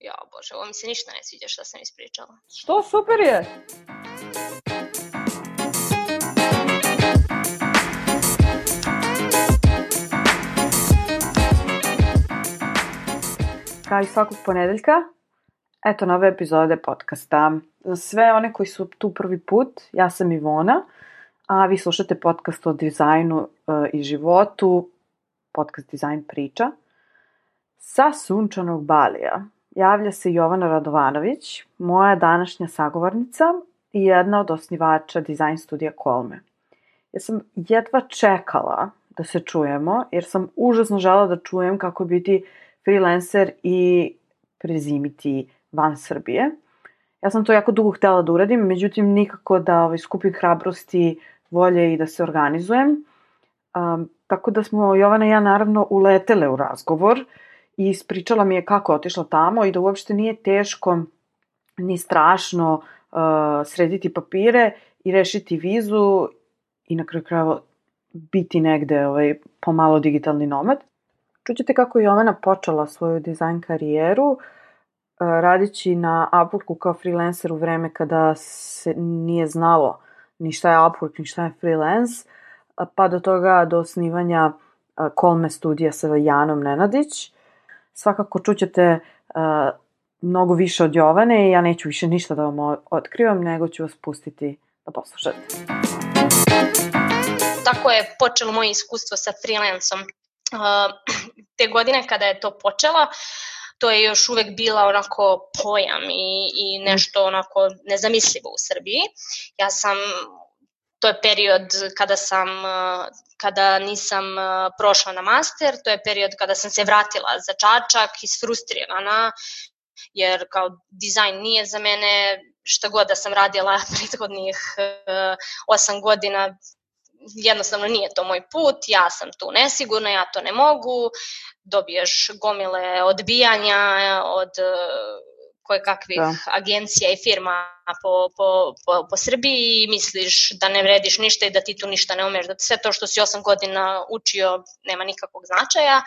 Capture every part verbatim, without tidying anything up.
Ja, bože, ovo mi se ništa ne sviđa što sam ispričala. Što, super je! Kao i svakog ponedeljka, eto nove epizode podcasta. Za sve one koji su tu prvi put, ja sam Ivona, a vi slušate podcast o dizajnu e, i životu, podcast Dizajn priča. Sa sunčanog Balija javlja se Jovana Radovanović, moja današnja sagovornica i jedna od osnivača dizajn studija Kolme. Ja sam jedva čekala da se čujemo, jer sam užasno želela da čujem kako biti freelancer i prezimiti van Srbije. Ja sam to jako dugo htjela da uradim, međutim nikako da ovaj, skupim hrabrosti, volje i da se organizujem. Um, tako da smo Jovana i ja naravno uletele u razgovor i ispričala mi je kako je otišla tamo i da uopšte nije teško ni strašno uh, srediti papire i rešiti vizu i na kraju krajeva biti negde ovaj, pomalo digitalni nomad. Čućete kako je Jovana počela svoju dizajn karijeru radići na Upworku kao freelancer u vreme kada se nije znalo ni šta je Upwork, ni šta je freelance, pa do toga do osnivanja Kolme studija sa Janom Nenadić. Svakako čućete uh, mnogo više od Jovane i ja neću više ništa da vam otkrivam, nego ću vas pustiti da poslušate. Tako je počelo moje iskustvo sa freelancom. Uh, te godine kada je to počela, to je još uvek bila onako pojam i, i nešto onako nezamislivo u Srbiji. Ja sam, to je period kada sam, kada nisam prošla na master, to je period kada sam se vratila za Čačak, isfrustrirana, jer kao dizajn nije za mene, šta god da sam radila prethodnih osam godina, jednostavno nije to moj put, ja sam tu nesigurna, ja to ne mogu, dobiješ gomile odbijanja od koje kakvih da. agencija i firma po, po, po, po Srbiji i misliš da ne vrediš ništa i da ti tu ništa ne umeš, da sve to što si osam godina učio nema nikakvog značaja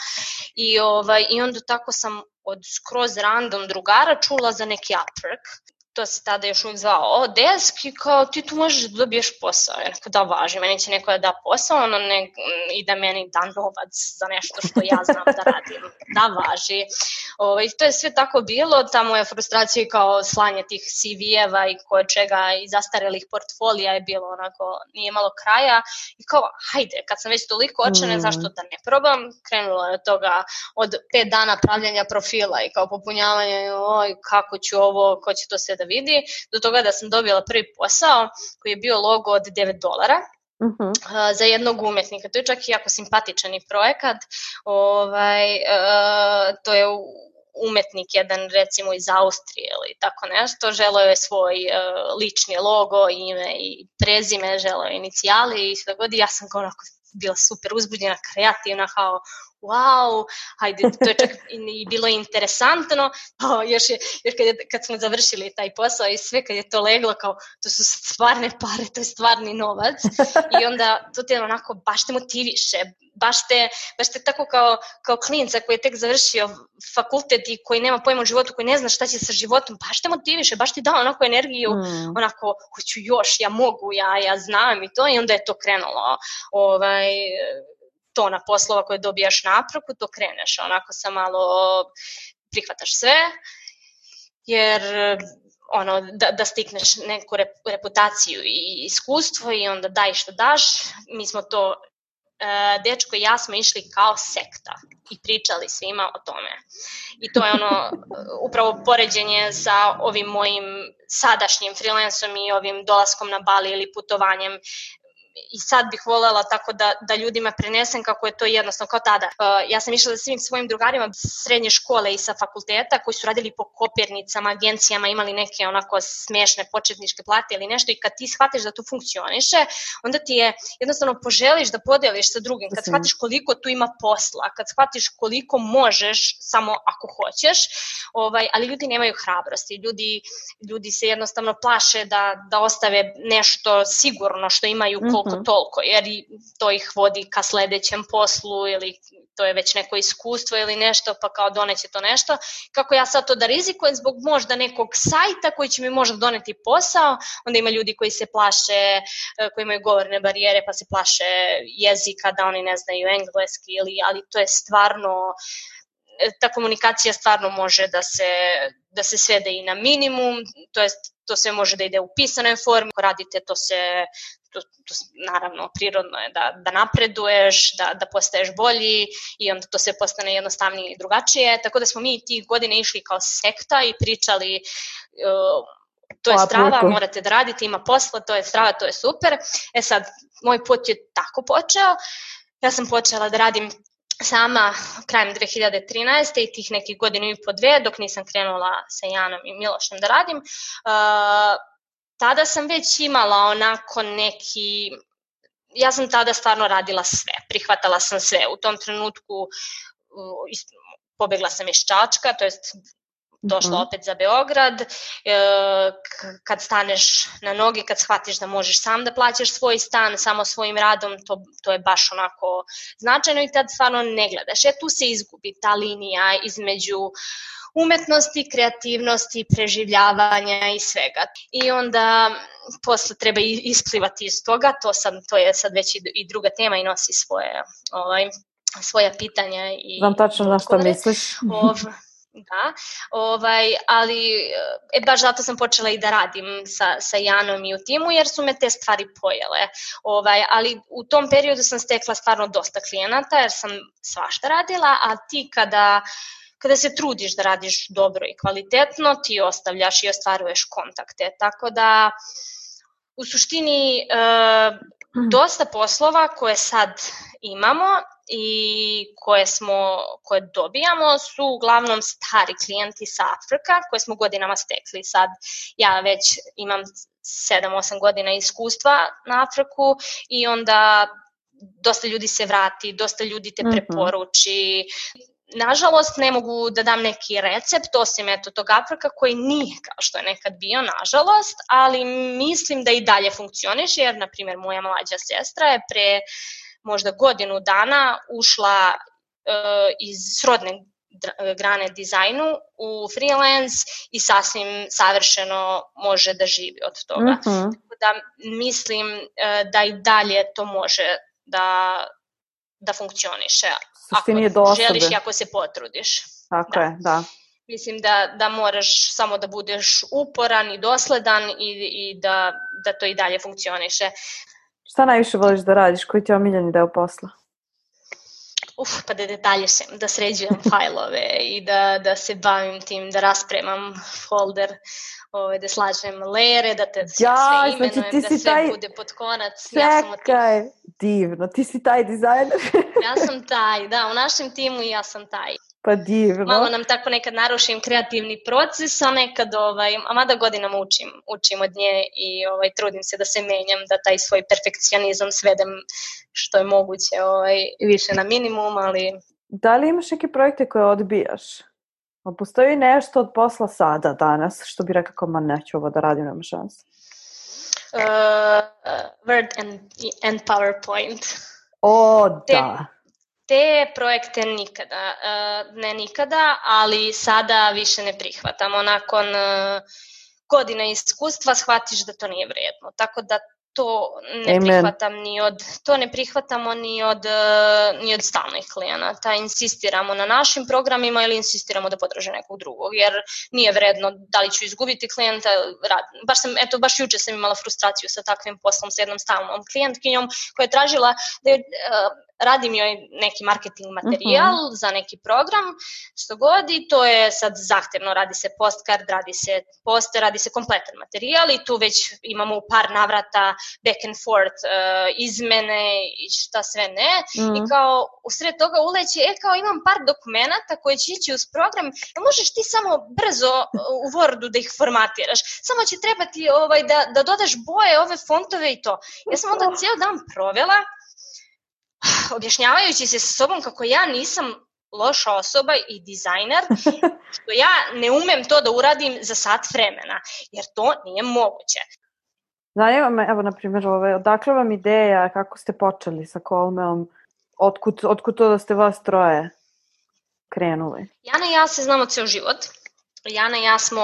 i, ovaj, i onda tako sam od skroz random drugara čula za neki Upwork. To se tada još uvijek zvao desk i kao ti tu možeš da dobiješ posao. Ja neko da važi, meni će neko da da posao ono ne, i da meni da novac za nešto što ja znam da radim. Da važi. O, i to je sve tako bilo, ta moja frustracija kao slanje tih C V-eva i koje čega i zastarelih portfolija je bilo onako, nije malo kraja. I kao, hajde, kad sam već toliko očene, mm. zašto da ne probam? Krenulo je od toga od pet dana pravljanja profila i kao popunjavanje, oj, kako ću ovo, ko će to sve da vidi, do toga da sam dobila prvi posao koji je bio logo od devet dolara uh-huh. uh, za jednog umetnika. To je čak i jako simpatičan i projekat. Ovaj, uh, to je umetnik jedan recimo iz Austrije ili tako nešto. Želeo je svoj uh, lični logo, ime i prezime, želeo je inicijali i sve god. Ja sam kao onako bila super uzbuđena, kreativna, kao wow, hajde, to je čak i bilo interesantno, o, još, je, još kad, je, kad smo završili taj posao i sve kad je to leglo, kao to su stvarne pare, to je stvarni novac i onda to te onako baš te motiviše, baš te, baš te tako kao, kao klinca koji je tek završio fakultet i koji nema pojma o životu, koji ne zna šta će sa životom, baš te motiviše, baš ti da onako energiju, mm. onako, hoću još, ja mogu, ja, ja znam i to i onda je to krenulo, ovaj, tona poslova koje dobijaš na Upworku, to kreneš, onako sam malo prihvataš sve, jer ono, da, da stikneš neku reputaciju i iskustvo i onda daj što daš, mi smo to, dečko i ja smo išli kao sekta i pričali svima o tome. I to je ono, upravo poređenje sa ovim mojim sadašnjim freelansom i ovim dolaskom na Bali ili putovanjem. I sad bih voljela tako da, da ljudima prenesem kako je to jednostavno kao tada. Uh, ja sam išla sa svim svojim drugarima srednje škole i sa fakulteta koji su radili po kopirnicama, agencijama, imali neke onako smešne početničke plate ili nešto i kad ti shvatiš da to funkcioniše, onda ti je jednostavno poželiš da podeliš sa drugim. Kad shvatiš koliko tu ima posla, kad shvatiš koliko možeš samo ako hoćeš, ovaj, ali ljudi nemaju hrabrosti. Ljudi, ljudi se jednostavno plaše da, da ostave nešto sigurno što imaju koliko koliko Mhm. toliko, jer i to ih vodi ka sledećem poslu ili to je već neko iskustvo ili nešto, pa kao doneće to nešto. Kako ja sad to da rizikujem zbog možda nekog sajta koji će mi možda doneti posao, onda ima ljudi koji se plaše, e, koji imaju govorne barijere pa se plaše jezika, da oni ne znaju engleski, ili, ali to je stvarno, e, ta komunikacija stvarno može da se, da se svede i na minimum, to jest to sve može da ide u pisanoj formi, ako radite to se, to, to, naravno prirodno je da, da napreduješ, da, da postaješ bolji i onda to sve postane jednostavnije i drugačije, tako da smo mi tih godine išli kao sekta i pričali uh, to je strava, morate da radite, ima posla, to je strava, to je super. E sad, moj put je tako počeo, ja sam počela da radim sama krajem dve hiljade trinaeste i tih nekih godinu i po dve, dok nisam krenula sa Janom i Milošem da radim. Uh, tada sam već imala onako neki, ja sam tada stvarno radila sve, prihvatala sam sve. U tom trenutku uh, pobegla sam iz Čačka, to jest došla opet za Beograd, e, kad staneš na noge, kad shvatiš da možeš sam da plaćaš svoj stan samo svojim radom, to, to je baš onako značajno i tad stvarno ne gledaš. E tu se izgubi ta linija između umetnosti, kreativnosti, preživljavanja i svega. I onda posle treba isplivati iz toga, to, sad, to je sad već i druga tema i nosi svoje, ovaj, svoja pitanja. I znam tačno na što misliš. Ov, Da, ovaj, ali e, baš zato sam počela i da radim sa, sa Janom i u timu, jer su me te stvari pojele. Ovaj, ali u tom periodu sam stekla stvarno dosta klijenata, jer sam svašta radila, a ti kada, kada se trudiš da radiš dobro i kvalitetno, ti ostavljaš i ostvaruješ kontakte. Tako da, u suštini, e, dosta poslova koje sad imamo i koje smo, koje dobijamo su uglavnom stari klijenti sa Afrika koje smo godinama stekli. Sad ja već imam sedam osam godina iskustva na Afriku i onda dosta ljudi se vrati, dosta ljudi te preporuči. Nažalost, ne mogu da dam neki recept osim eto tog Afrika koji nije kao što je nekad bio, nažalost, ali mislim da i dalje funkcioniše, jer, na primjer, moja mlađa sestra je pre možda godinu dana ušla uh, iz srodne grane dizajnu u freelance i sasvim savršeno može da živi od toga. Mm-hmm. Tako da mislim uh, da i dalje to može da, da funkcioniše. Ako želiš i ako se potrudiš. Tako da. je, da. Mislim da, da moraš samo da budeš uporan i dosledan i, i da, da to i dalje funkcioniše. Šta najviše voliš da radiš? Koji ti je omiljeni deo posla? Uf, pa da detalje sem, da sređujem fajlove i da, da se bavim tim, da raspremam folder, ovaj, da slažem lere, da te ja, sve imenujem, znači, da sve taj... bude pod konac. Čekaj, ja divno, ti si taj dizajner. Ja sam taj, da, u našem timu ja sam taj. Pa divno. Malo nam tako nekad narušim kreativni proces, a nekad, ovaj, a mada godinama učim, učim od nje i ovaj, trudim se da se menjam, da taj svoj perfekcionizam svedem što je moguće ovaj, više na minimum, ali... Da li imaš neke projekte koje odbijaš? Postoji nešto od posla sada, danas, što bi rekao, ma neću ovo da radim, nema šanse? Uh, Word and, and PowerPoint. O, da. Te, te projekte nikada, uh, ne nikada, ali sada više ne prihvatamo. Nakon uh, godina iskustva shvatiš da to nije vredno. Tako da to ne Amen. prihvatam ni od, to ne prihvatamo ni od, ni od stalnih klijenata. Insistiramo na našim programima ili insistiramo da podrže nekog drugog, jer nije vredno da li ću izgubiti klijenta. Baš sam, eto, baš juče sam imala frustraciju sa takvim poslom sa jednom stalnom klijentkinjom koja je tražila da je, radim joj neki marketing materijal uh-huh. za neki program, što god, i to je sad zahtevno, radi se postcard, radi se poster, radi se kompletan materijal i tu već imamo u par navrata back and forth uh, izmene i šta sve ne, uh-huh. i kao u sred toga uleće, e kao imam par dokumenata koje će ići uz program, možeš ti samo brzo u Wordu da ih formatiraš, samo će trebati ovaj, da, da dodaš boje, ove fontove i to. Ja sam onda cijel dan provela objašnjavajući se sa sobom kako ja nisam loša osoba i dizajner, što ja ne umem to da uradim za sat vremena, jer to nije moguće. Zanima me, evo, na primjer, ove, odakle vam ideja, kako ste počeli sa Kolmeom, otkud, otkud to da ste vas troje krenuli? Jana i ja se znamo ceo život. Jana i ja smo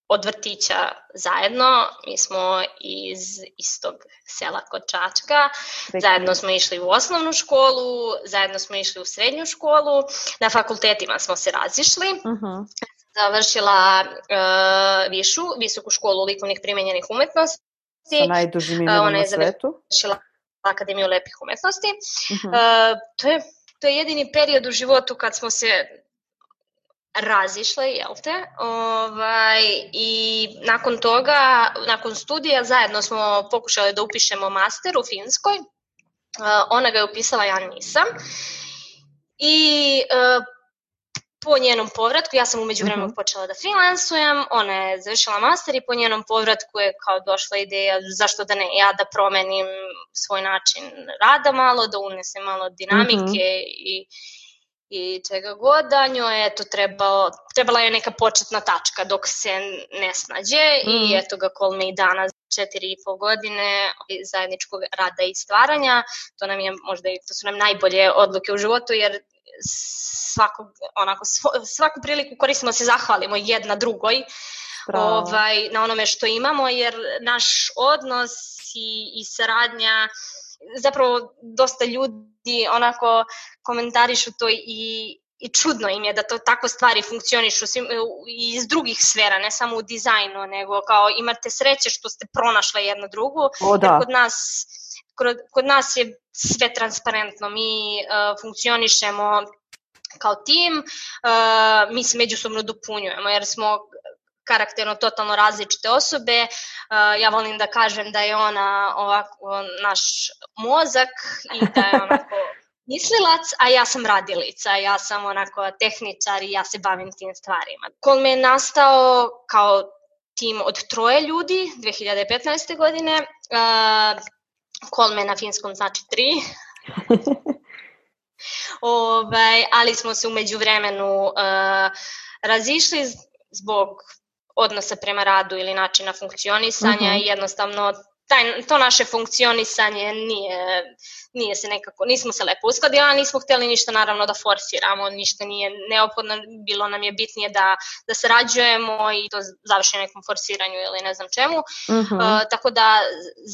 od vrtića zajedno, mi smo iz istog sela kod Čačka, zajedno smo išli u osnovnu školu, zajedno smo išli u srednju školu, na fakultetima smo se razišli. Uh-huh. Završila uh, višu, visoku školu likovnih primenjenih umetnosti. Sa najdužim imenom na svetu. Ona je završila Akademiju lepih umetnosti. Uh-huh. Uh, to je, to je jedini period u životu kad smo se razišle, jel te? Ovaj, I nakon toga, nakon studija, zajedno smo pokušali da upišemo master u Finskoj. Uh, ona ga je upisala, ja nisam. I uh, po njenom povratku, ja sam umeđu vremenu uh-huh. počela da freelansujem, ona je završila master i po njenom povratku je kao došla ideja zašto da ne ja da promenim svoj način rada malo, da unesem malo dinamike uh-huh. i i čega god, da njoj je to trebalo, trebala je neka početna tačka dok se ne snađe mm. i eto ga Kolme i danas četiri i po godine zajedničkog rada i stvaranja. To nam je možda i to su nam najbolje odluke u životu jer svakog, onako, svaku priliku koristimo se zahvalimo jedna drugoj ovaj, na onome što imamo jer naš odnos i, i saradnja zapravo dosta ljudi onako komentarišu to i, i čudno im je da to tako stvari funkcionišu i iz drugih sfera, ne samo u dizajnu, nego kao imate sreće što ste pronašle jedno drugu, o, da. Jer kod nas, kod, kod nas je sve transparentno, mi uh, funkcionišemo kao tim, uh, mi se međusobno dopunjujemo jer smo karakterno totalno različite osobe. Uh, ja volim da kažem da je ona ovako naš mozak i da je onako mislilac, a ja sam radilica, ja sam onako tehničar i ja se bavim tim stvarima. Kolme je nastao kao tim od troje ljudi dve hiljade petnaeste. godine. Uh, Kolme na finskom znači tri. Ovaj, ali smo se umeđu vremenu uh, razišli zbog odnosa prema radu ili načina funkcionisanja uh-huh. i jednostavno taj, to naše funkcionisanje nije, nije se nekako, nismo se lepo uskladili, a nismo hteli ništa naravno da forsiramo, ništa nije neophodno, bilo nam je bitnije da, da sarađujemo i to završi nekom forsiranju ili ne znam čemu. Uh-huh. Uh, tako da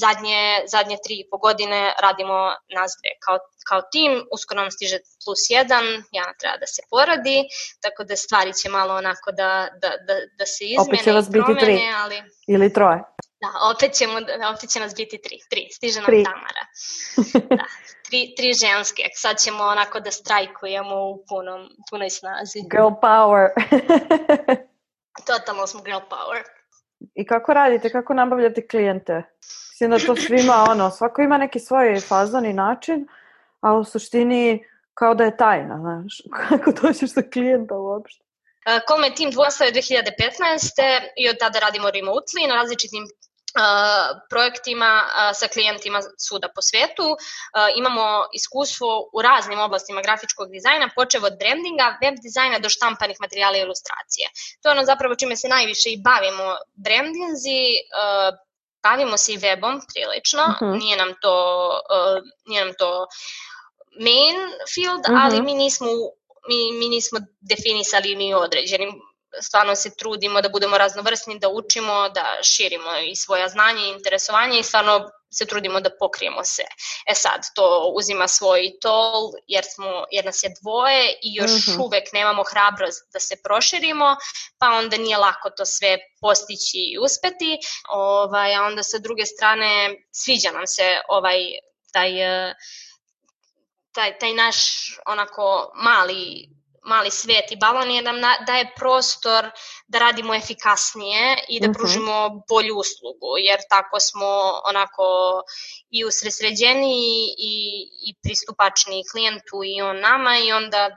zadnje, zadnje tri i po godine radimo nas dve kao, kao tim, uskoro nam stiže plus jedan, Jana treba da se porodi, tako da stvari će malo onako da, da, da, da se izmene. Opet će vas biti promene, tri ali... ili troje. Da, opet, ćemo, opet će nas biti tri, tri, stiže nam tri. Tamara. Da, tri, tri ženske, sad ćemo onako da strajkujemo u punom, punoj snazi. Girl power. Totalno smo girl power. I kako radite, kako nabavljate klijente? Mislim da to svima, ono, svako ima neki svoj fazon i način, a u suštini kao da je tajna, znaš, kako dođeš sa klijenta uopšte. Kolme tim nastao dve hiljade petnaeste. i od tada radimo remotely na različitim uh, projektima uh, sa klijentima svuda po svetu. Uh, imamo iskustvo u raznim oblastima grafičkog dizajna, počev od brandinga, web dizajna do štampanih materijala i ilustracije. To je ono zapravo čime se najviše i bavimo. Brandinzi, uh, bavimo se i webom prilično, uh-huh. nije nam to, uh, nije nam to main field, uh-huh. ali mi nismo Mi, mi nismo definisali ni određenim, stvarno se trudimo da budemo raznovrsni, da učimo, da širimo i svoja znanja i interesovanje i stvarno se trudimo da pokrijemo sve. E sad, to uzima svoj tol jer, smo, jer nas je dvoje i još uh-huh. uvek nemamo hrabrost da se proširimo, pa onda nije lako to sve postići i uspeti. Ovaj, a onda sa druge strane sviđa nam se ovaj taj... Taj, taj naš onako mali, mali svet i balon je nam daje prostor da radimo efikasnije i da pružimo uh-huh. bolju uslugu, jer tako smo onako i usredsređeni i, i pristupačni klijentu i on nama i onda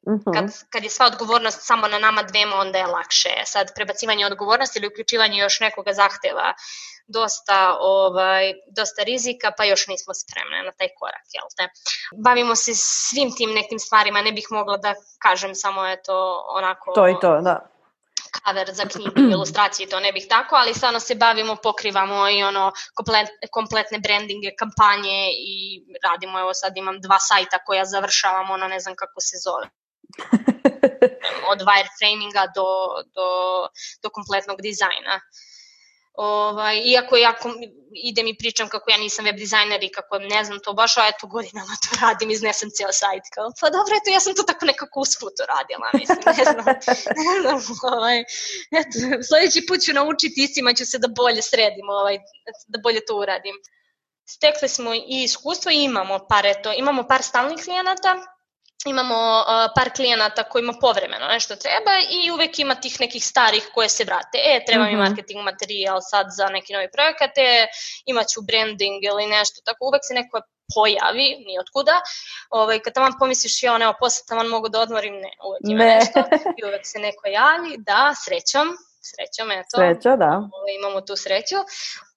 uh-huh. kad, kad je sva odgovornost samo na nama dvema, onda je lakše. Sad prebacivanje odgovornosti ili uključivanje još nekoga zahteva dosta, ovaj, dosta rizika, pa još nismo spremne na taj korak, jel te? Bavimo se svim tim nekim stvarima, ne bih mogla da kažem samo je to onako... To i to, da. cover za knjigu, ilustracije, to ne bih tako, ali stvarno se bavimo, pokrivamo i ono komplet, kompletne brandinge, kampanje i radimo, evo sad imam dva sajta koja završavam, ono ne znam kako se zove. Od wireframinga do, do, do kompletnog dizajna. Ovaj, iako ja idem i pričam kako ja nisam web dizajner i kako ne znam to baš, a eto godinama to radim, iznesem cijel sajt. Kao, pa dobro, eto ja sam to tako nekako usput radila, mislim, ne znam. ne znam ovaj, eto, sljedeći put ću naučiti istima, ću se da bolje sredim, ovaj, da bolje to uradim. Stekli smo i iskustvo i imamo par, eto, imamo par stalnih klijenata. Imamo uh, par klijenata kojima povremeno nešto treba i uvek ima tih nekih starih koje se vrate. E, treba mi marketing materijal sad za neki novi projekat, e, imat ću branding ili nešto. Tako uvek se neko pojavi, nijotkuda. Ovaj, kad tamo pomisliš, ja, evo, posle tamo mogu da odmorim, ne, uvek ima ne. nešto. I uvek se neko javi, da, srećom. Srećom, eto. Sreća, da. Ovaj, imamo tu sreću.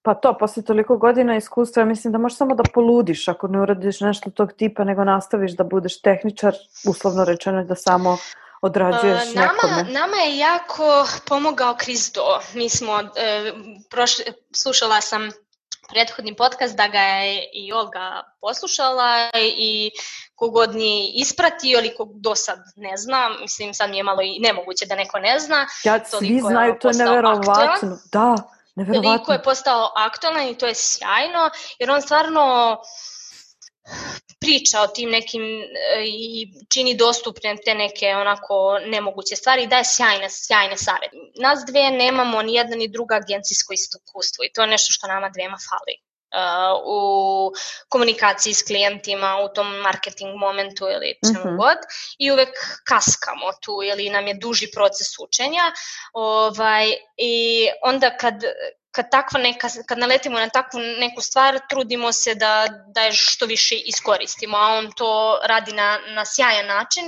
Pa to, posle toliko godina iskustva, mislim da možeš samo da poludiš ako ne uradiš nešto tog tipa, nego nastaviš da budeš tehničar, uslovno rečeno, da samo odrađuješ uh, nama, nekome. Nama je jako pomogao Krizdo. Mi smo, e, prošli, slušala sam prethodni podcast da ga je i Olga poslušala i kogod nije ispratio ili kog do sad ne zna, mislim sad mi je malo i nemoguće da neko ne zna. Ja, svi znaju, to je neverovatno. Da. Toliko je postao aktualan i to je sjajno, jer on stvarno priča o tim nekim i čini dostupne te neke onako nemoguće stvari i daje sjajne, sjajne savjete. Nas dve nemamo ni jedna ni druga agencijsko iskustvo i to je nešto što nama dvema fali. Uh, u komunikaciji s klijentima, u tom marketing momentu ili čemu uh-huh. god i uvek kaskamo tu ili nam je duži proces učenja ovaj, i onda kad Kad, takva neka, kad naletimo na takvu neku stvar, trudimo se da, da je što više iskoristimo, a on to radi na, na sjajan način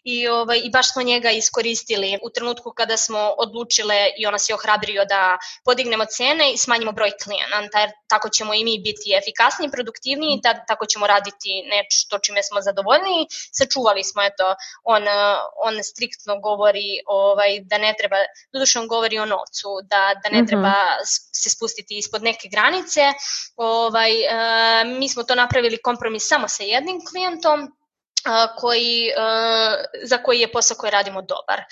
i, ovaj, i baš smo njega iskoristili u trenutku kada smo odlučile i ona se ohrabrio da podignemo cene i smanjimo broj klijenata, jer tako ćemo i mi biti efikasniji, produktivniji, da, tako ćemo raditi nešto čime smo zadovoljniji. Sačuvali smo, eto, on, on striktno govori ovaj, da ne treba, doduše on govori o novcu, da, da ne treba mm-hmm. se spustiti ispod neke granice. Ovaj, uh, mi smo to napravili kompromis samo sa jednim klijentom uh, koji, uh, za koji je posao koji radimo dobar.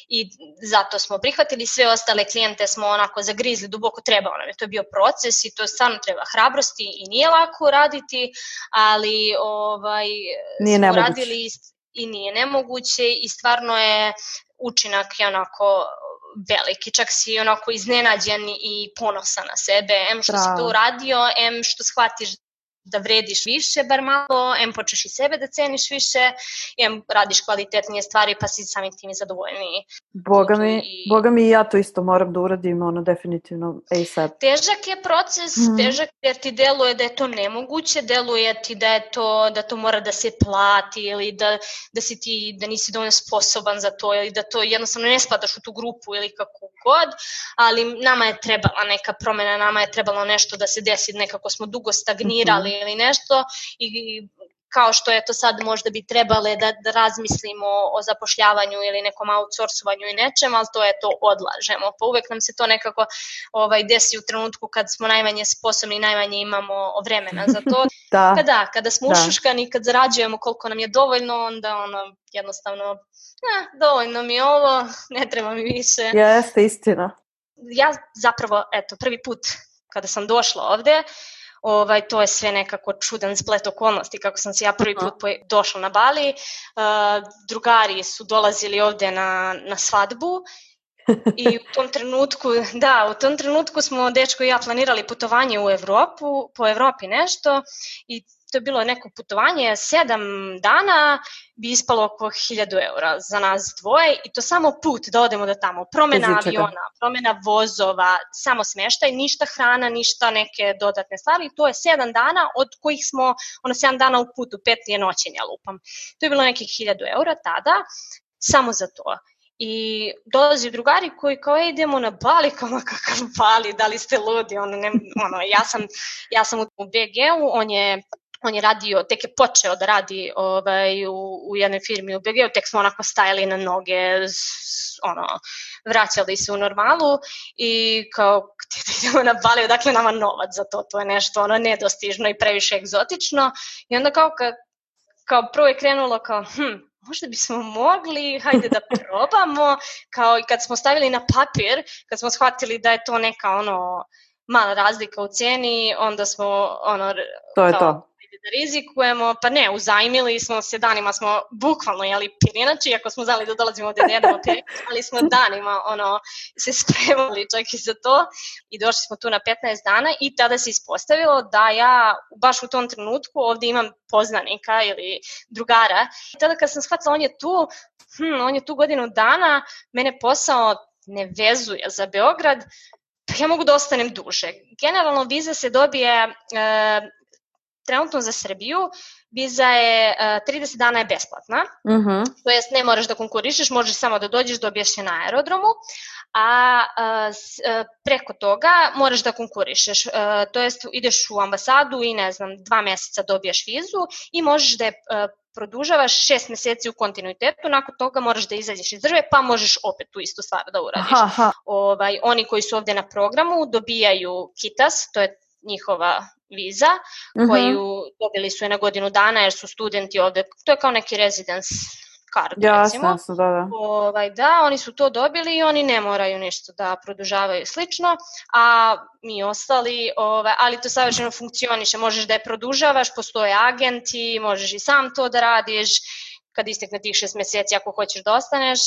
I zato smo prihvatili sve ostale klijente, smo onako zagrizli duboko, trebao nam je. To je bio proces i to stvarno treba hrabrosti i nije lako raditi, ali ovaj, nije smo nemoguće. radili i nije nemoguće i stvarno je učinak je onako veliki, čak si onako iznenađen i ponosan na sebe, em što Bravo. si to uradio, em što shvatiš da vrediš više, bar malo, em počeš i sebe da ceniš više, em radiš kvalitetnije stvari pa si samim tim i zadovoljniji. Boga mi, I... Boga mi i ja to isto moram da uradim, ono definitivno ASAP. Težak je proces, mm. težak jer ti deluje da je to nemoguće, deluje ti da je to, da to mora da se plati ili da, da si ti, da nisi dovoljno sposoban za to ili da to jednostavno ne spadaš u tu grupu ili kako god, ali nama je trebala neka promjena, nama je trebalo nešto da se desi, nekako smo dugo stagnirali mm-hmm. ili nešto i kao što je to sad možda bi trebale da, da razmislimo o zapošljavanju ili nekom outsourcovanju i nečem, ali to je to odlažemo. Pa uvek nam se to nekako ovaj, desi u trenutku kad smo najmanje sposobni i najmanje imamo vremena za to. da. Kada, kada smo ušuškani, kad zarađujemo koliko nam je dovoljno, onda ono jednostavno, eh, dovoljno mi je ovo, ne treba mi više. Jeste, istina. Ja zapravo, eto, prvi put kada sam došla ovde, Ovaj, to je sve nekako čudan splet okolnosti kako sam se ja prvi put uh-huh. došla na Bali. Uh, drugari su dolazili ovde na, na svadbu i u tom trenutku, da, u tom trenutku smo dečko i ja planirali putovanje u Evropu, po Evropi nešto i to je bilo neko putovanje, sedam dana bi ispalo oko hiljadu eura za nas dvoje i to samo put da odemo do tamo. Promena aviona, promena vozova, samo smeštaj, ništa hrana, ništa neke dodatne stvari. To je sedam dana od kojih smo, ono sedam dana u putu, pet je noćenja lupam. To je bilo nekih hiljadu eura tada, samo za to. I dolazi drugari koji kao idemo na Bali, kao kakav Bali, da li ste ludi, ono, ne, ono, ja sam, ja sam u B G-u, on je On je radio, tek je počeo da radi ovaj, u, u jednoj firmi u B G-u, tek smo onako stajali na noge, ono, vraćali se u normalu i kao idemo na Bali, odakle nama novac za to, to je nešto ono nedostižno i previše egzotično i onda kao, ka, kao prvo je krenulo kao hm, možda bismo mogli, hajde da probamo, kao i kad smo stavili na papir, kad smo shvatili da je to neka ono mala razlika u cijeni, onda smo ono to je kao, to. da rizikujemo, pa ne, uzajmili smo se danima, smo bukvalno jeli pirinači, iako smo znali da dolazimo ovde da jedemo pirinači, ali smo danima ono, se spremali čak i za to i došli smo tu na petnaest dana i tada se ispostavilo da ja baš u tom trenutku ovde imam poznanika ili drugara i tada kad sam shvatila on je tu, hm, on je tu godinu dana, mene posao ne vezuje za Beograd, pa ja mogu da ostanem duže. Generalno viza se dobije e, trenutno za Srbiju, viza je uh, trideset dana je besplatna, uh-huh. to jest ne moraš da konkurišeš, možeš samo da dođeš, dobiješ je na aerodromu, a uh, s, uh, preko toga moraš da konkurišeš, uh, to jest ideš u ambasadu i ne znam, dva meseca dobiješ vizu i možeš da je uh, produžavaš šest meseci u kontinuitetu, nakon toga moraš da izađeš iz države, pa možeš opet tu istu stvar da uradiš. Aha. Ovaj, oni koji su ovde na programu dobijaju KITAS, to je njihova viza, uh-huh. koju dobili su je na godinu dana jer su studenti ovde, to je kao neki residence card, ja, recimo. Jasno, da, da. Ovaj, da, oni su to dobili i oni ne moraju ništa da produžavaju slično, a mi ostali, ovaj, ali to savršeno funkcioniše, možeš da je produžavaš, postoje agenti, možeš i sam to da radiš, kad istekne tih šest meseci ako hoćeš da ostaneš.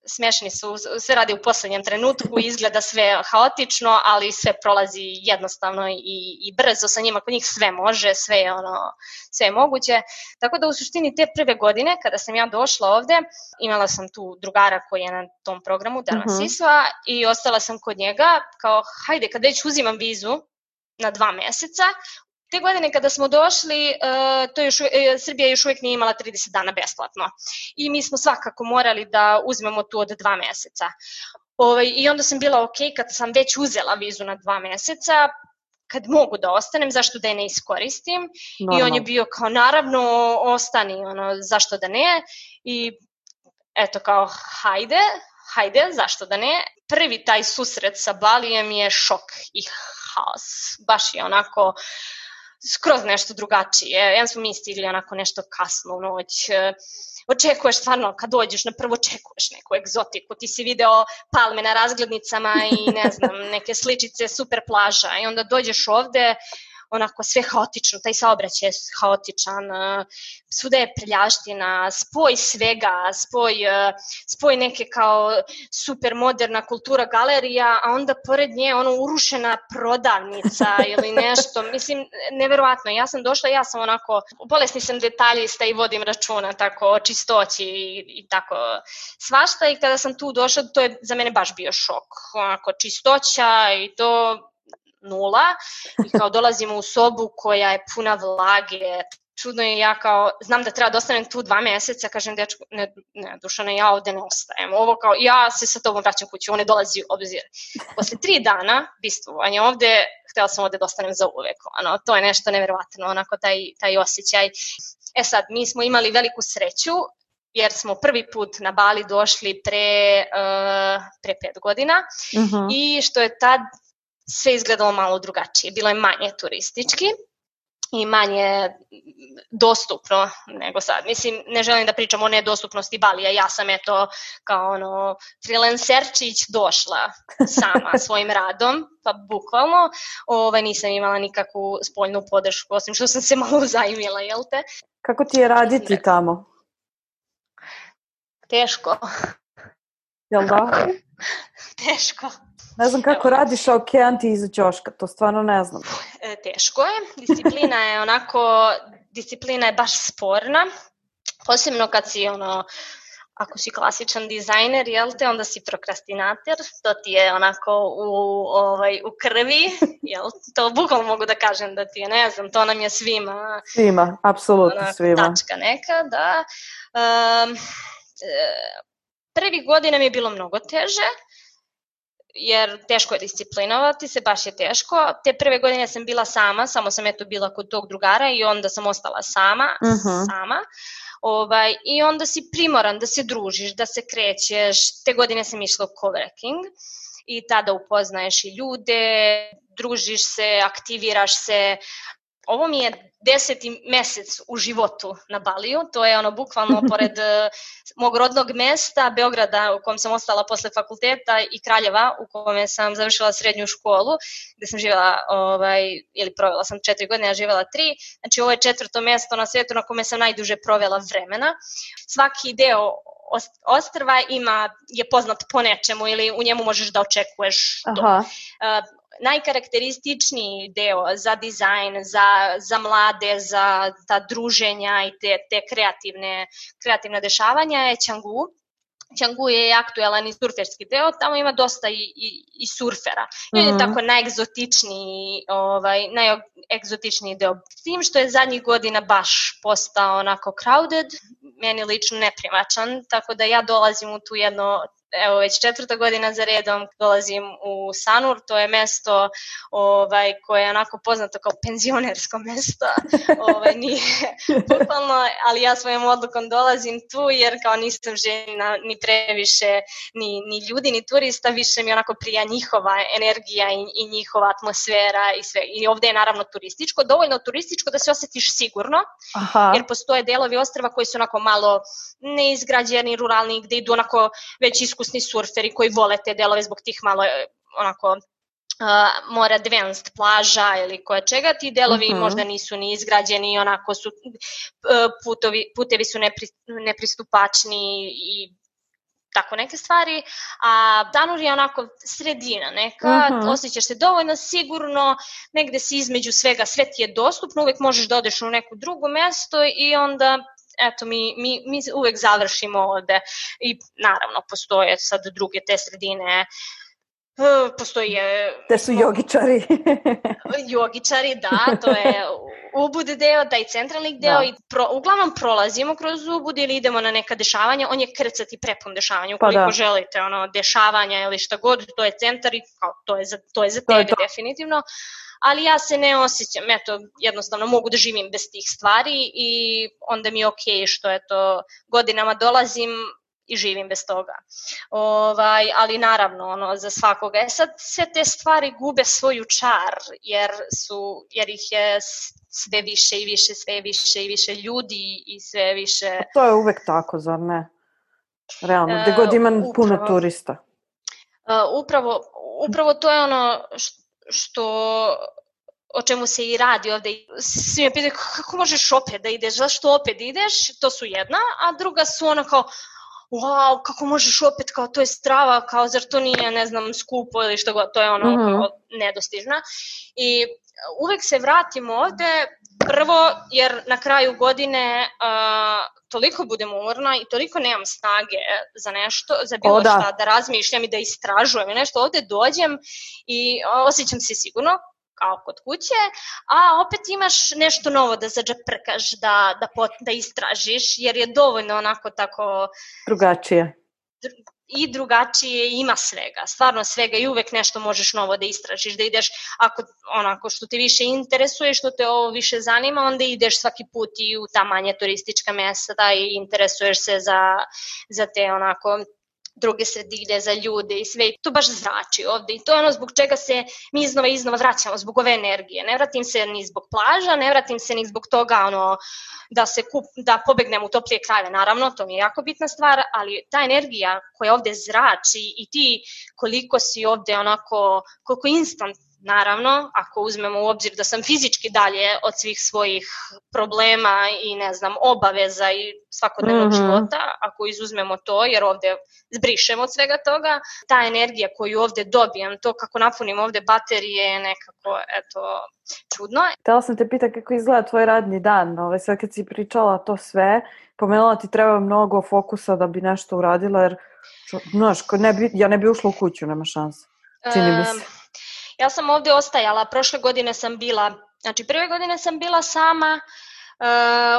Smešni su, sve radi u poslednjem trenutku, izgleda sve haotično, ali sve prolazi jednostavno i, i brzo sa njima, kod njih sve može, sve je, ono, sve je moguće. Tako da u suštini te prve godine, kada sam ja došla ovde, imala sam tu drugara koji je na tom programu, Darman uh-huh. Sisva, i ostala sam kod njega, kao hajde, kad već uzimam vizu na dva meseca, te godine kada smo došli, to još, Srbija još uvijek nije imala trideset dana besplatno i mi smo svakako morali da uzmemo tu od dva meseca. Ovaj, I onda sam bila ok, kad sam već uzela vizu na dva meseca, kad mogu da ostanem, zašto da je ne iskoristim. Normal. I on je bio kao, naravno, ostani, ono, zašto da ne. I eto kao, hajde, hajde, zašto da ne. Prvi taj susret sa Balijem je šok i haos. Baš je onako skroz nešto drugačije. Jedan smo mi stigli onako nešto kasno u noć. Očekuješ stvarno, kad dođeš na prvo očekuješ neku egzotiku. Ti si video palme na razglednicama i ne znam, neke sličice, super plaža. I onda dođeš ovde, onako sve haotično, taj saobraćaj je haotičan, svuda je prljavština, spoj svega, spoj, spoj neke kao super moderna kultura galerija, a onda pored nje ono urušena prodavnica ili nešto, mislim, neverovatno. Ja sam došla, ja sam onako, bolesni sam detaljista i vodim računa tako o čistoći i, i tako svašta i kada sam tu došla, to je za mene baš bio šok, onako čistoća i to nula i kao dolazimo u sobu koja je puna vlage, čudno je, ja kao, znam da treba da ostanem tu dva meseca, kažem dečku, ne, ne Dušane, ja ovde ne ostajem, ovo kao, ja se sa tobom vraćam kući, on ne dolazi u obzir. Posle tri dana bistvovanja ovde, htela sam ovde da ostanem za uvek, ono, to je nešto neverovatno, onako taj, taj osjećaj. E sad, mi smo imali veliku sreću, jer smo prvi put na Bali došli pre, uh, pre pet godina uh-huh. i što je tad sve izgledalo malo drugačije, bilo je manje turistički i manje dostupno nego sad. Mislim, ne želim da pričam o nedostupnosti Balija, ja sam eto kao ono freelancerčić došla sama svojim radom, pa bukvalno, ovaj, nisam imala nikakvu spoljnu podršku, osim što sam se malo uzajmila, jel te? Kako ti je raditi da... tamo? Teško. Jel da? Teško. Ne znam kako Evo. radiš okeanti iza ćoška, to stvarno ne znam. E, teško je, disciplina je onako, disciplina je baš sporna, posebno kad si ono, ako si klasičan dizajner, jel te, onda si prokrastinator, to ti je onako u, ovaj, u krvi, jel, to bukvalno mogu da kažem da ti je, ne znam, to nam je svima. Svima, apsolutno onako, svima. Tačka neka, da. Um, prvi godina mi je bilo mnogo teže, jer teško je disciplinovati se, baš je teško. Te prve godine sam bila sama, samo sam eto bila kod tog drugara i onda sam ostala sama, uh-huh. sama. Ovaj, I onda si primoran da se družiš, da se krećeš. Te godine sam išla u coworking i tada upoznaješ i ljude, družiš se, aktiviraš se. Ovo mi je deseti mesec u životu na Baliju, to je ono bukvalno pored mog rodnog mesta, Beograda u kom sam ostala posle fakulteta i Kraljeva u kome sam završila srednju školu, gde sam živjela, ovaj, ili provela sam četiri godine, a živjela tri, znači ovo je četvrto mesto na svijetu na kome sam najduže provela vremena. Svaki deo ostrva ima, je poznat po nečemu ili u njemu možeš da očekuješ to. Aha. Uh, najkarakterističniji deo za dizajn, za, za mlade, za ta druženja i te, te kreativne, kreativne dešavanja je Canggu. Canggu je aktuelan i surferski deo, tamo ima dosta i, i, i surfera. I on je mm-hmm. tako najegzotičniji, ovaj, najegzotičniji deo. S tim što je zadnjih godina baš postao onako crowded, meni lično neprimačan, tako da ja dolazim u tu jedno, evo već četvrta godina za redom, dolazim u Sanur, to je mesto ovaj, koje je onako poznato kao penzionersko mesto, ovaj, nije bukvalno, ali ja svojom odlukom dolazim tu jer kao nisam željena ni previše ni, ni ljudi, ni turista, više mi onako prija njihova energija i, i njihova atmosfera i sve. I ovde je naravno turističko, dovoljno turističko da se osjetiš sigurno, aha, jer postoje delovi ostrva koji su onako malo neizgrađeni, ruralni, gde idu onako već iskusni surferi koji vole te delove zbog tih malo onako Uh, more advanced plaža ili koje čega, ti delovi uh-huh. možda nisu ni izgrađeni, onako su uh, putovi, putevi su nepri, nepristupačni i tako neke stvari, a Sanur je onako sredina neka, uh-huh. osjećaš se dovoljno sigurno, negde si između svega, sve ti je dostupno, uvek možeš da odeš u neko drugo mesto i onda eto, mi, mi, mi uvek završimo ovde i naravno postoje sad druge te sredine. Postoje... Te su jogičari. Jogičari, da, to je Ubud deo, taj centralni deo da. I pro, uglavnom prolazimo kroz Ubud ili idemo na neka dešavanja, on je krcati prepun dešavanja, ukoliko pa da. želite ono, dešavanja ili šta god, to je centar i kao, to je za, to je za tebe to je definitivno, ali ja se ne osjećam, eto, jednostavno mogu da živim bez tih stvari i onda mi je okej što eto, godinama dolazim i živim bez toga. Ovaj, ali naravno, ono, za svakoga. E sad, sve te stvari gube svoju čar, jer, su, jer ih je sve više i više, sve više i više ljudi i sve više... To je uvek tako, zar ne? Realno, gde god ima uh, puno turista. Uh, upravo, upravo to je ono što... o čemu se i radi ovde. Svi me pitaju kako možeš opet da ideš, zašto opet ideš? To su jedna, a druga su ono kao wow, kako možeš opet, kao to je strava, kao zar to nije, ne znam, skupo ili što god, to je ono mm-hmm. kao nedostižna. I uvek se vratim ovde, prvo jer na kraju godine uh, toliko budem umorna i toliko nemam snage za nešto, za bilo o, da. šta, da razmišljam i da istražujem i nešto, ovde dođem i osjećam se sigurno, kao kod kuće, a opet imaš nešto novo da zadžaprkaš, da, da, pot, da istražiš, jer je dovoljno onako tako... Drugačije. I drugačije, ima svega, stvarno svega i uvek nešto možeš novo da istražiš, da ideš, ako onako što te više interesuje, što te ovo više zanima, onda ideš svaki put i u ta manje turistička mesta i interesuješ se za, za te onako... druge sredine, za ljude i sve. To baš zrači ovde i to je ono zbog čega se mi iznova i iznova vraćamo, zbog ove energije. Ne vratim se ni zbog plaža, ne vratim se ni zbog toga ono, da se kup, da pobegnem u toplije krajeve. Naravno, to mi je jako bitna stvar, ali ta energija koja ovde zrači i ti koliko si ovde onako, koliko instant, naravno, ako uzmemo u obzir da sam fizički dalje od svih svojih problema i ne znam, obaveza i svakodnevnog mm-hmm. života, ako izuzmemo to, jer ovde zbrišemo od svega toga, ta energija koju ovde dobijem, to kako napunim ovde baterije je nekako, eto, čudno. Htela sam te pitati kako izgleda tvoj radni dan, ove, sve kad si pričala to sve, pomenula ti treba mnogo fokusa da bi nešto uradila, jer, znaš, ne bi, ja ne bi ušla u kuću, nema šanse, čini mi se. Um, Ja sam ovde ostajala, prošle godine sam bila, znači prve godine sam bila sama,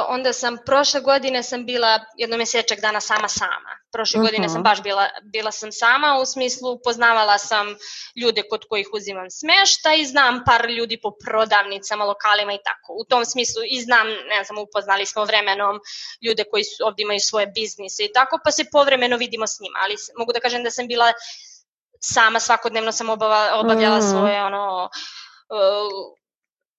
onda sam prošle godine sam bila jedno mjesečak dana sama sama. Prošle uh-huh. godine sam baš bila, bila sam sama, u smislu poznavala sam ljude kod kojih uzimam smještaj i znam par ljudi po prodavnicama, lokalima i tako. U tom smislu i znam, ne znam, upoznali smo vremenom ljude koji su, ovdje imaju svoje biznise i tako, pa se povremeno vidimo s njima. Ali mogu da kažem da sam bila sama, svakodnevno sam obava, obavljala uh-huh. svoje ono... Uh,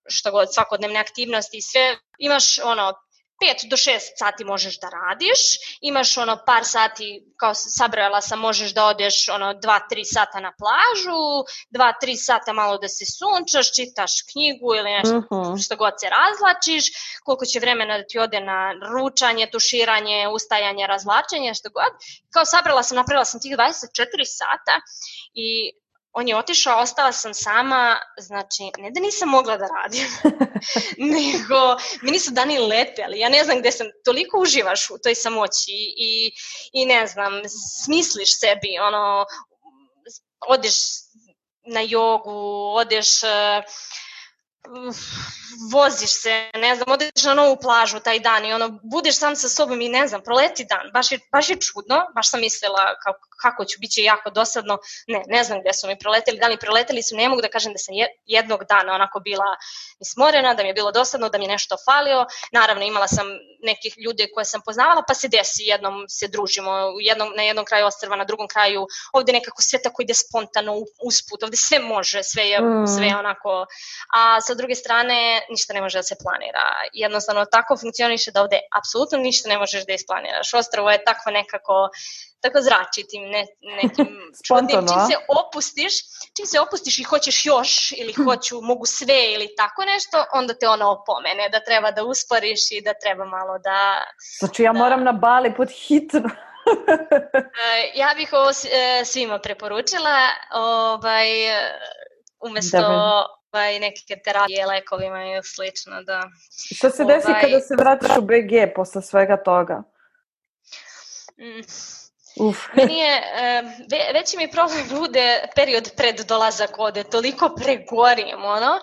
što god, svakodnevne aktivnosti i sve, imaš ono pet do šest sati možeš da radiš, imaš ono par sati, kao sabrala sam, možeš da odeš ono dva tri sata na plažu, dva tri sata malo da se sunčaš, čitaš knjigu ili nešto uh-huh. što god se razlačiš, koliko će vremena da ti ode na ručanje, tuširanje, ustajanje, razvlačenje, što god. Kao sabrala sam, napravila sam tih dvadeset četiri sata i on je otišao, ostala sam sama, znači, ne da nisam mogla da radim, nego mi nisu dani leteli, ja ne znam gde sam, toliko uživaš u toj samoći i, i ne znam, smisliš sebi, ono, odeš na jogu, odeš... Uh, voziš se, ne znam, odeš na novu plažu taj dan i ono, budeš sam sa sobom i ne znam, proleti dan, baš je, baš je čudno, baš sam mislila kako, kako ću, bit će jako dosadno, ne, ne znam gde su mi proleteli, da li proleteli su, ne mogu da kažem da sam jednog dana onako bila ismorena, da mi je bilo dosadno, da mi je nešto falio, naravno imala sam nekih ljude koje sam poznavala, pa se desi, jednom se družimo, jednom, na jednom kraju ostrva, na drugom kraju, ovde nekako sve tako ide spontano usput, ovde sve može, sve je, mm. sve je onako, a sa druge strane ništa ne može da se planira. Jednostavno tako funkcioniše da ovde apsolutno ništa ne možeš da isplaniraš. Ostrvo je tako nekako, tako zrači tim ne, nekim čudnim. Čim se opustiš, čim se opustiš i hoćeš još ili hoću, mogu sve ili tako nešto, onda te ono opomene da treba da usporiš i da treba malo da... Znači ja da... moram na Bali pod hitno. Ja bih ovo svima preporučila, ovaj, umesto... i neke terapije, lekovima i slično, da... Što se desi ovaj... kada se vratiš u B G posle svega toga? Mm. Uf. Meni je, ve, veći mi problem bude period pred dolazak ovde, toliko pregorim, ono,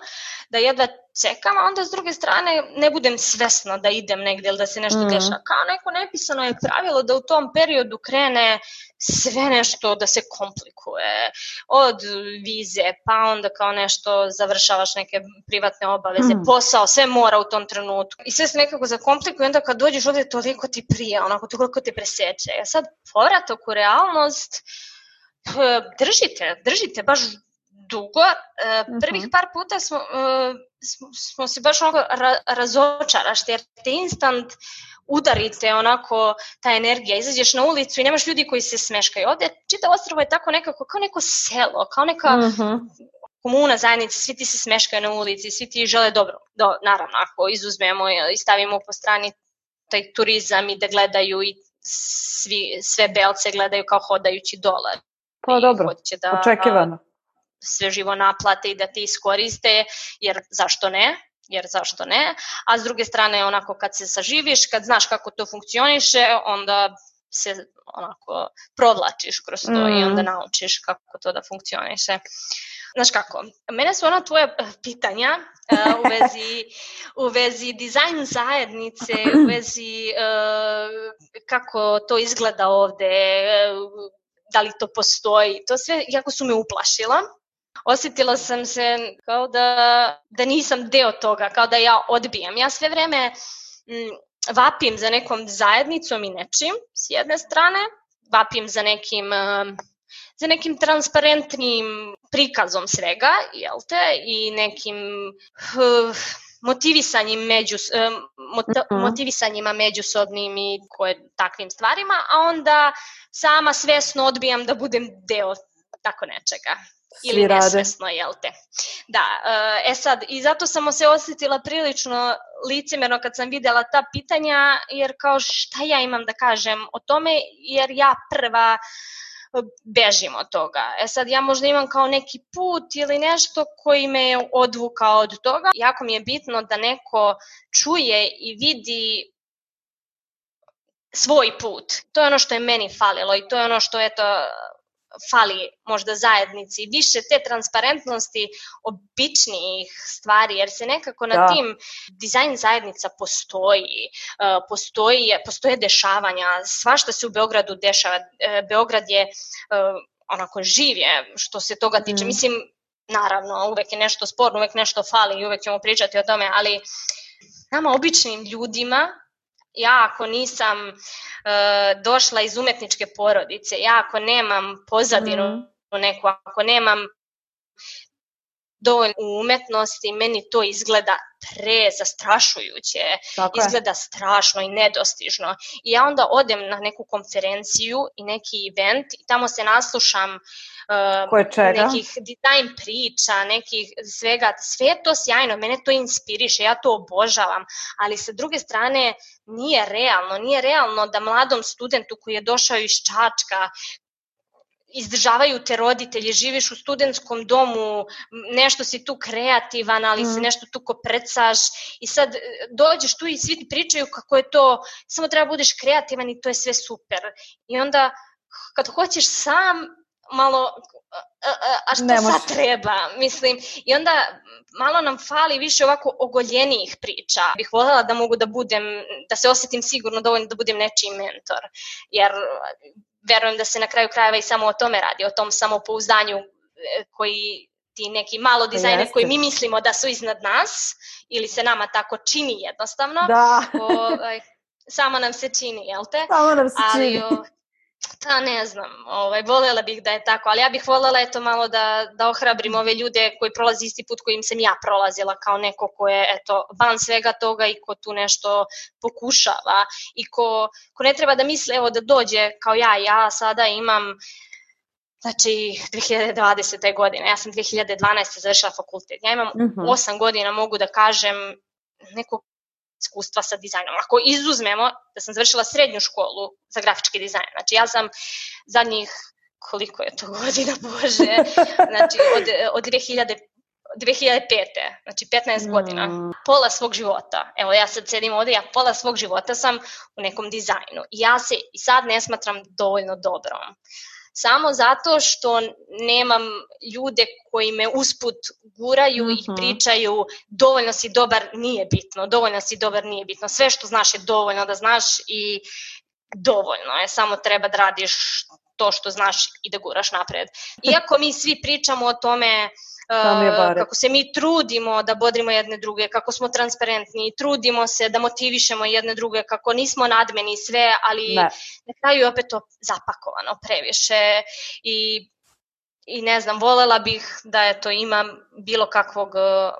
da jedva čekam, a onda s druge strane ne budem svesna da idem negdje ili da se nešto mm. dešava. Kao neko nepisano je pravilo da u tom periodu krene sve nešto da se komplikuje. Od vize, pa onda kao nešto završavaš neke privatne obaveze, mm. posao, sve mora u tom trenutku. I sve se nekako zakomplikuje, onda kad dođeš ovdje toliko ti prija, onako toliko te preseče. A sad povratak u realnost, držite, držite baš dugo. Prvih par puta smo, smo, smo se baš onako ra, razočaraš, jer te instant udarite onako ta energija, izađeš na ulicu i nemaš ljudi koji se smeškaju. Ovdje čitavo ostrvo je tako nekako kao neko selo, kao neka uh-huh. komuna, zajednica, svi ti se smeškaju na ulici, svi ti žele dobro. Do, naravno, ako izuzmemo i stavimo po strani taj turizam i da gledaju i svi, sve belce gledaju kao hodajući dolar. Pa dobro, da, očekivano. Sve živo naplate i da ti iskoriste, jer zašto ne? Jer zašto ne? A s druge strane, onako kad se saživiš, kad znaš kako to funkcioniše, onda se onako provlačiš kroz to mm. i onda naučiš kako to da funkcioniše. Znaš kako, mene su ona tvoja pitanja uh, u vezi, u vezi dizajn zajednice, u vezi uh, kako to izgleda ovde, uh, da li to postoji, to sve jako su me uplašila. Osjetila sam se kao da, da nisam deo toga, kao da ja odbijam. Ja sve vreme m, vapim za nekom zajednicom i nečim, s jedne strane, vapim za nekim, um, za nekim transparentnim prikazom svega, jel te, i nekim uh, motivisanjem među, uh, mot- motivisanjima međusobnim i koje, takvim stvarima, a onda sama svesno odbijam da budem deo tako nečega. Ili nesvesno, jel te. Da, e sad, i zato sam se osjetila prilično licemerno kad sam videla ta pitanja, jer kao šta ja imam da kažem o tome, jer ja prva bežim od toga. E sad, ja možda imam kao neki put ili nešto koji me je odvukao od toga. Jako mi je bitno da neko čuje i vidi svoj put. To je ono što je meni falilo i to je ono što, eto, fali možda zajednici, više te transparentnosti običnijih stvari, jer se nekako na da. tim dizajn zajednica postoji, uh, postoji, postoje dešavanja, svašta se u Beogradu dešava, uh, Beograd je uh, onako živ je što se toga tiče, mm. mislim, naravno, uvek je nešto sporno, uvek nešto fali i uvek ćemo pričati o tome, ali nama običnim ljudima, ja ako nisam e, došla iz umetničke porodice, ja ako nemam pozadinu mm. neku, ako nemam dovoljno u umetnosti, meni to izgleda prezastrašujuće, izgleda strašno i nedostižno. I ja onda odem na neku konferenciju i neki event i tamo se naslušam uh, nekih dizajn priča, nekih svega, sve je to sjajno, mene to inspiriše, ja to obožavam, ali sa druge strane nije realno, nije realno da mladom studentu koji je došao iz Čačka, izdržavaju te roditelji, živiš u studentskom domu, nešto si tu kreativan, ali mm. se nešto tu koprcaš i sad dođeš tu i svi ti pričaju kako je to, samo treba budeš kreativan i to je sve super. I onda kad hoćeš sam malo, a što Nemoš. sad treba, mislim, i onda malo nam fali više ovako ogoljenijih priča. Bih voljela da mogu da budem, da se osjetim sigurno dovoljno da budem nečiji mentor, jer verujem da se na kraju krajeva i samo o tome radi, o tom samopouzdanju koji ti neki malo dizajner koji mi mislimo da su iznad nas ili se nama tako čini jednostavno, da. o, samo nam se čini, jel te? Samo nam se ali, čini. O, ta ne znam, ovaj, voljela bih da je tako, ali ja bih voljela eto malo da, da ohrabrim ove ljude koji prolazi isti put kojim sam ja prolazila kao neko ko je eto van svega toga i ko tu nešto pokušava i ko, ko ne treba da misle evo da dođe kao ja, ja sada imam znači dve hiljade dvadesete. godine, ja sam dve hiljade dvanaeste. završila fakultet, ja imam uh-huh. osam godina mogu da kažem neko iskustva sa dizajnom. Ako izuzmemo da sam završila srednju školu za grafički dizajn, znači ja sam zadnjih, koliko je to godina, Bože, znači od, od dve hiljade pete. znači petnaest mm. godina, pola svog života, evo ja sad sedim ovde, ja pola svog života sam u nekom dizajnu i ja se i sad ne smatram dovoljno dobrom. Samo zato što nemam ljude koji me usput guraju mm-hmm. i pričaju dovoljno si dobar, nije bitno, dovoljno si dobar, nije bitno. Sve što znaš je dovoljno da znaš i dovoljno je, samo treba da radiš to što znaš i da guraš napred. Iako mi svi pričamo o tome Uh, kako se mi trudimo da bodrimo jedne druge, kako smo transparentni, trudimo se da motivišemo jedne druge, kako nismo nadmeni sve, ali ne. Na kraju je opet to zapakovano previše i, i ne znam, volela bih da eto, imam bilo kakvog uh,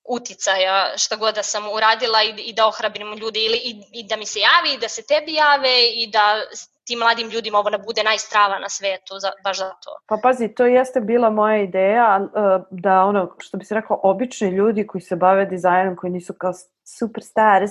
uticaja šta god da sam uradila i, i da ohrabrim ljude ili, i, i da mi se javi, i da se tebi jave i da tim mladim ljudima ovo ne bude najstrava na svetu, za, baš za to. Pa pazi, to jeste bila moja ideja, da ono, što bi se rekao, obični ljudi koji se bave dizajnom, koji nisu kao superstars,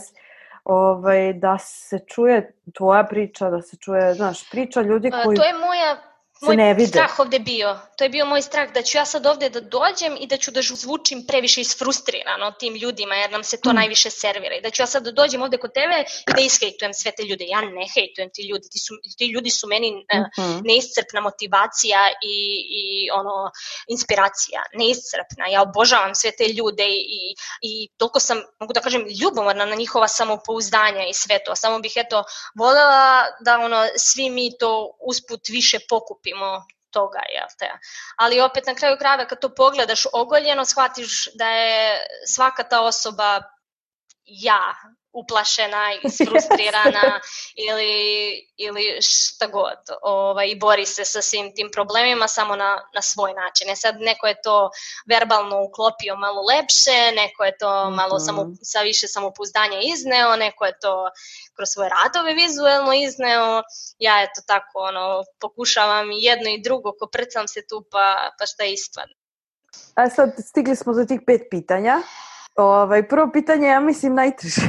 ovaj, da se čuje tvoja priča, da se čuje, znaš, priča ljudi koji... To je moja... Moj strah ovde bio, to je bio moj strah da ću ja sad ovde da dođem i da ću da zvučim previše isfrustrirano tim ljudima jer nam se to mm. najviše servira i da ću ja sad da dođem ovde kod tebe i da ishejtujem sve te ljude. Ja ne hejtujem ti ljudi, ti, su, ti ljudi su meni mm-hmm. uh, neiscrpna motivacija i, i ono, inspiracija, neiscrpna. Ja obožavam sve te ljude i, i toliko sam, mogu da kažem, ljubomorna na njihova samopouzdanja i sve to. Samo bih eto voljela da ono, svi mi to usput više pokupimo toga, jel te? Ali opet na kraju krajeva kad to pogledaš ogoljeno, shvatiš da je svaka ta osoba ja, uplašena, isfrustrirana ili, ili šta god. Ovaj, I bori se sa svim tim problemima samo na, na svoj način. E sad neko je to verbalno uklopio malo lepše, neko je to malo mm-hmm. samo, sa više samopouzdanja izneo, neko je to kroz svoje radove vizuelno izneo. Ja eto tako ono, pokušavam i jedno i drugo, koprcam se tu pa, pa šta ispadne. A sad stigli smo za tih pet pitanja. Ovaj, prvo pitanje, ja mislim, najteže.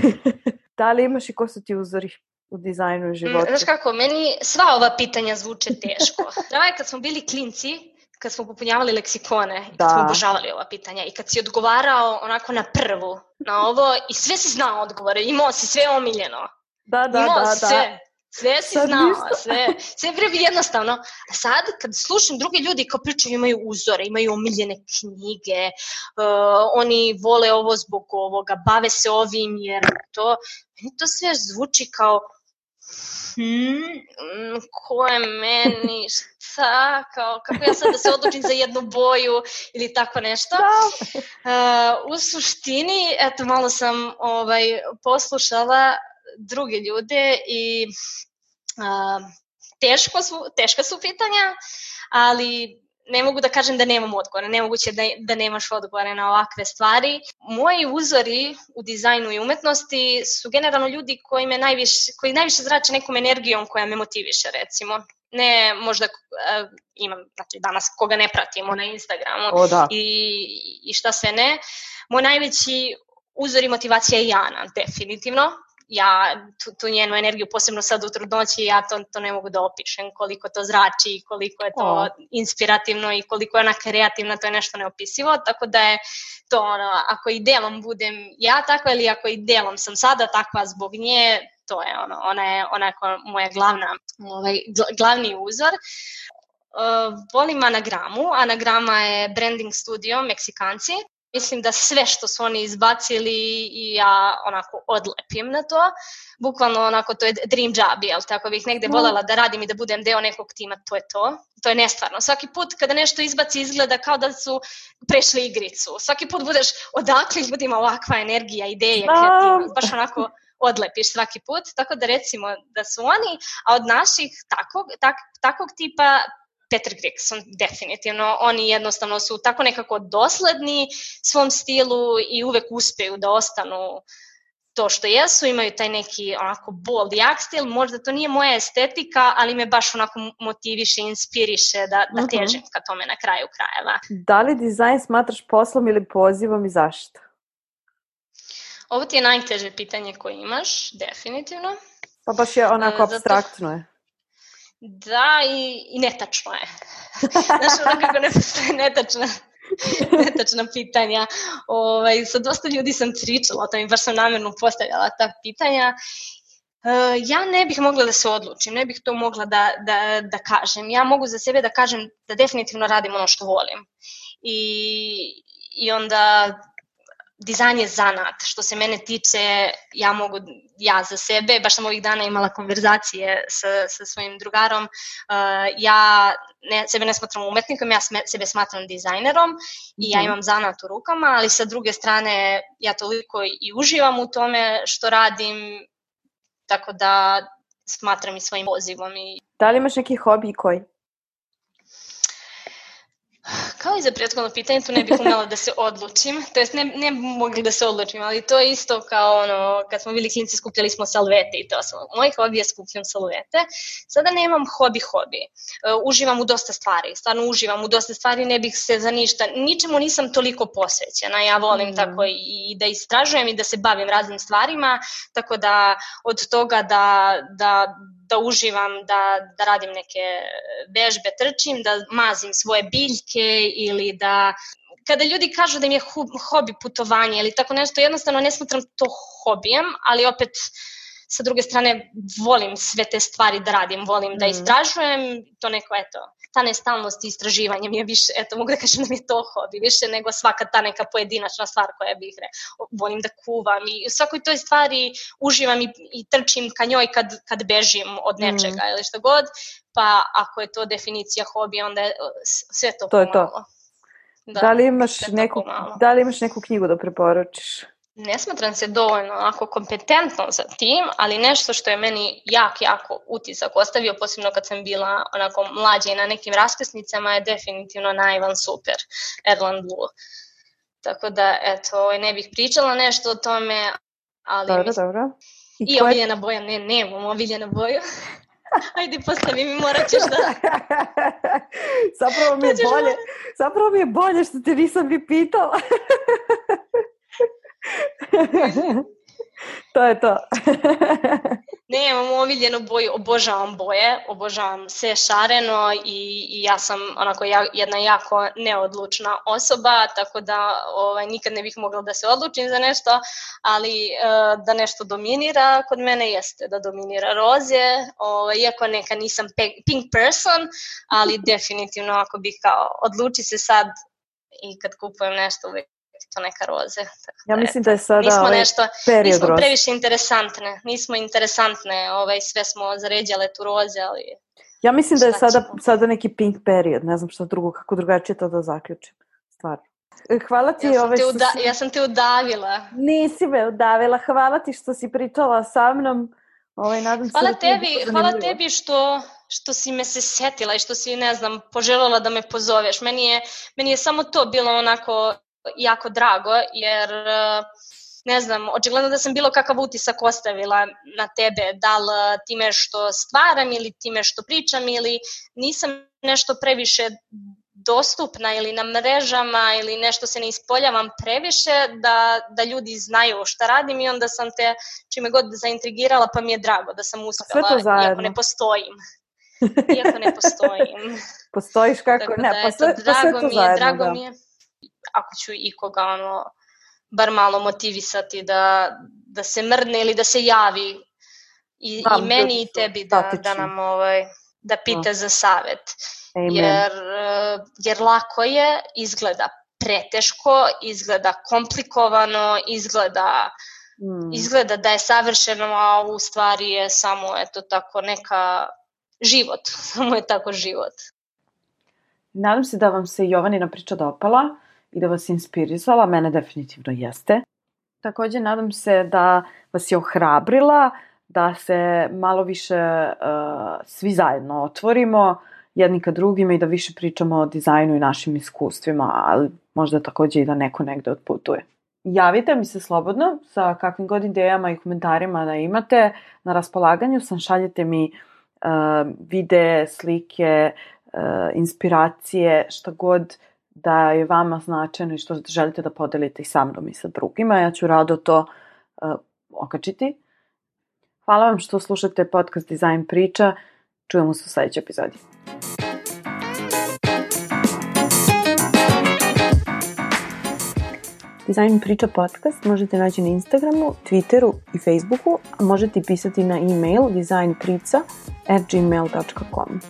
Da li imaš i ko su ti uzori u dizajnu i životu? Znaš kako, meni sva ova pitanja zvuče teško. Pravo je kad smo bili klinci, kad smo popunjavali leksikone, da. Kad smo obožavali ova pitanja i kad si odgovarao onako na prvu, na ovo i sve si znao odgovore, imao si sve omiljeno. Da, da, imao da, sve. da. Sve si Sad znao, ništa. sve, sve bre jednostavno. A sad, kad slušam druge ljudi kao pričaju, imaju uzore, imaju omiljene knjige, uh, oni vole ovo zbog ovoga, bave se ovim, jer to, meni to sve zvuči kao hmm, ko je meni, šta, kao, kako ja sad da se odlučim za jednu boju ili tako nešto. Uh, u suštini, eto, malo sam ovaj, poslušala druge ljude i uh, teško su, teška su pitanja, ali ne mogu da kažem da nemam odgovore, nemoguće da, da nemaš odgovore na ovakve stvari. Moji uzori u dizajnu i umetnosti su generalno ljudi koji, me najviše, koji najviše zrače nekom energijom koja me motiviše, recimo. Ne možda uh, imam, znači danas koga ne pratimo na Instagramu o, da. i, i šta sve ne. Moj najveći uzor i motivacija je Jana, definitivno. Ja tu, tu njenu energiju, posebno sad u trudnoći, ja to, to ne mogu da opišem, koliko to zrači, koliko je to oh. inspirativno i koliko je ona kreativna, to je nešto neopisivo, tako da je to ono, ako i delom budem ja takva ili ako i delom sam sada takva zbog nje, to je ono, ona je onako moja glavna, ovaj, glavni uzor. Uh, volim Anagramu, Anagrama je branding studio, Meksikanci. Mislim da sve što su oni izbacili i ja onako odlepim na to. Bukvalno onako to je dream job, jel? Tako bih negde voljela da radim i da budem deo nekog tima, to je to. To je nestvarno. Svaki put kada nešto izbaci izgleda kao da su prešli igricu. Svaki put budeš odakle ljudima ovakva energija, ideje, kreativnost. Baš onako odlepiš svaki put. Tako da recimo da su oni, a od naših takvog, tak, takvog tipa Peter Grigson, definitivno. Oni jednostavno su tako nekako dosledni svom stilu i uvek uspeju da ostanu to što jesu, imaju taj neki onako bold, jak stil, možda to nije moja estetika, ali me baš onako motiviše, inspiriše da, da težim ka tome na kraju krajeva. Da li dizajn smatraš poslom ili pozivom i zašto? Ovo ti je najteže pitanje koje imaš, definitivno. Pa baš je onako Zato... apstraktno je. Da, i, i netačno je. Znaš, ono kako ne postoje netačna, netačna pitanja. Ovaj, sa dosta ljudi sam pričala o tom i baš sam namjerno postavljala ta pitanja. Uh, ja ne bih mogla da se odlučim, ne bih to mogla da, da, da kažem. Ja mogu za sebe da kažem da definitivno radim ono što volim. I, i onda... Dizajn je zanat, što se mene tiče, ja mogu, ja za sebe, baš sam ovih dana imala konverzacije sa, sa svojim drugarom, uh, ja ne, sebe ne smatram umetnikom, ja sme, sebe smatram dizajnerom i ja imam zanat u rukama, ali sa druge strane ja toliko i uživam u tome što radim, tako da smatram i svojim pozivom. I... Da li imaš neki hobi i koji? Kao i za prethodno pitanje, tu ne bih umela da se odlučim, to jest ne, ne mogli da se odlučim, ali to je isto kao ono, kad smo bili klinci skupljali smo salvete i to sam. Moj hobi je skupljam salvete. Sada nemam hobi-hobi. Uh, uživam u dosta stvari, stvarno uživam u dosta stvari, ne bih se za ništa, ničemu nisam toliko posvećena. Ja volim mm. tako i, i da istražujem i da se bavim raznim stvarima, tako da od toga da... da da uživam, da, da radim neke vežbe, trčim, da mazim svoje biljke ili da... Kada ljudi kažu da im je hobi putovanje ili tako nešto, jednostavno ne smatram to hobijem, ali opet sa druge strane volim sve te stvari da radim, volim mm. da istražujem, to neko, eto, ta nestalnost i istraživanje mi je više, eto, mogu da kažem da mi je to hobi, više nego svaka ta neka pojedinačna stvar koja bih re, volim da kuvam i u svakoj toj stvari uživam i, i trčim ka njoj kad, kad bežim od nečega mm. ili što god, pa ako je to definicija hobija, onda je sve to, to pomalo. Je to. Da, da, li imaš neku, da li imaš neku knjigu da preporučiš? Ne smatram se dovoljno onako kompetentno za tim, ali nešto što je meni jak, jako utisak ostavio, posebno kad sam bila onako mlađa i na nekim raskrsnicama, je definitivno Naivan Super, Erland Blue. Tako da, eto, ne bih pričala nešto o tome, ali... Dobro, mislim... dobro. I, I koje... omiljena boja, ne, nemam omiljena boju. Ajde, postavi mi, morat ćeš da... zapravo mi je bolje, zapravo mi je bolje što te nisam bi pitala. To je to. Nemam omiljenu boju, obožavam boje, obožavam sve šareno i, i ja sam onako ja, jedna jako neodlučna osoba, tako da ovaj, nikad ne bih mogla da se odlučim za nešto, ali e, da nešto dominira kod mene jeste da dominira roze, ovaj, iako neka nisam pink person, ali definitivno ako bih kao odluči se sad i kad kupujem nešto uvijek to neka roze. Tako ja mislim da je sada nismo ovaj nešto, period nismo roze. previše interesantne, nismo interesantne, ovaj, sve smo zaređale tu roze, ali... Ja mislim da je sada, sada neki pink period, ne znam što drugo, kako drugačije to da zaključim, stvarno. Hvala ti. Ja sam, ovaj, te, uda, si... ja sam te udavila. Nisi me udavila, hvala ti što si pričala sa mnom. Ovaj, nadam hvala se da tebi, hvala tebi što, što si me se setila i što si, ne znam, poželjela da me pozoveš. Meni je, meni je samo to bilo onako jako drago, jer ne znam, očigledno da sam bilo kakav utisak ostavila na tebe, da li time što stvaram ili time što pričam ili nisam nešto previše dostupna ili na mrežama ili nešto se ne ispoljavam previše da, da ljudi znaju šta radim i onda sam te čime god zaintrigirala pa mi je drago da sam uspela, iako ne postojim. Iako ne postojim. Postojiš kako? Tako ne, da, pa sve, eto, drago pa sve to mi je, zajedno, drago da. mi je. Ako ću ikoga ono, bar malo motivisati da, da se mrdne ili da se javi i, Znam, i meni i tebi da, da nam ovaj, da pita no. za savet. Jer, jer lako je, izgleda preteško, izgleda komplikovano, izgleda, mm. izgleda da je savršeno, a u stvari je samo eto tako neka život, samo je tako život. Nadam se da vam se Jovanina priča dopala i da vas inspirisala, mene definitivno jeste. Također nadam se da vas je ohrabrila, da se malo više uh, svi zajedno otvorimo jedni ka drugima i da više pričamo o dizajnu i našim iskustvima, ali možda također i da neko negde otputuje. Javite mi se slobodno sa kakvim god idejama i komentarima da imate. Na raspolaganju sam, šaljete mi uh, videe, slike, uh, inspiracije, šta god da je vama značajno i što želite da podelite i sa mnom i sa drugima. Ja ću rado to uh, okačiti. Hvala vam što slušate podcast Dizajn priča. Čujemo se u sljedećoj epizodi. Dizajn priča podcast možete naći na Instagramu, Twitteru i Facebooku, a možete pisati na e-mail dizajnprica at gmail dot com.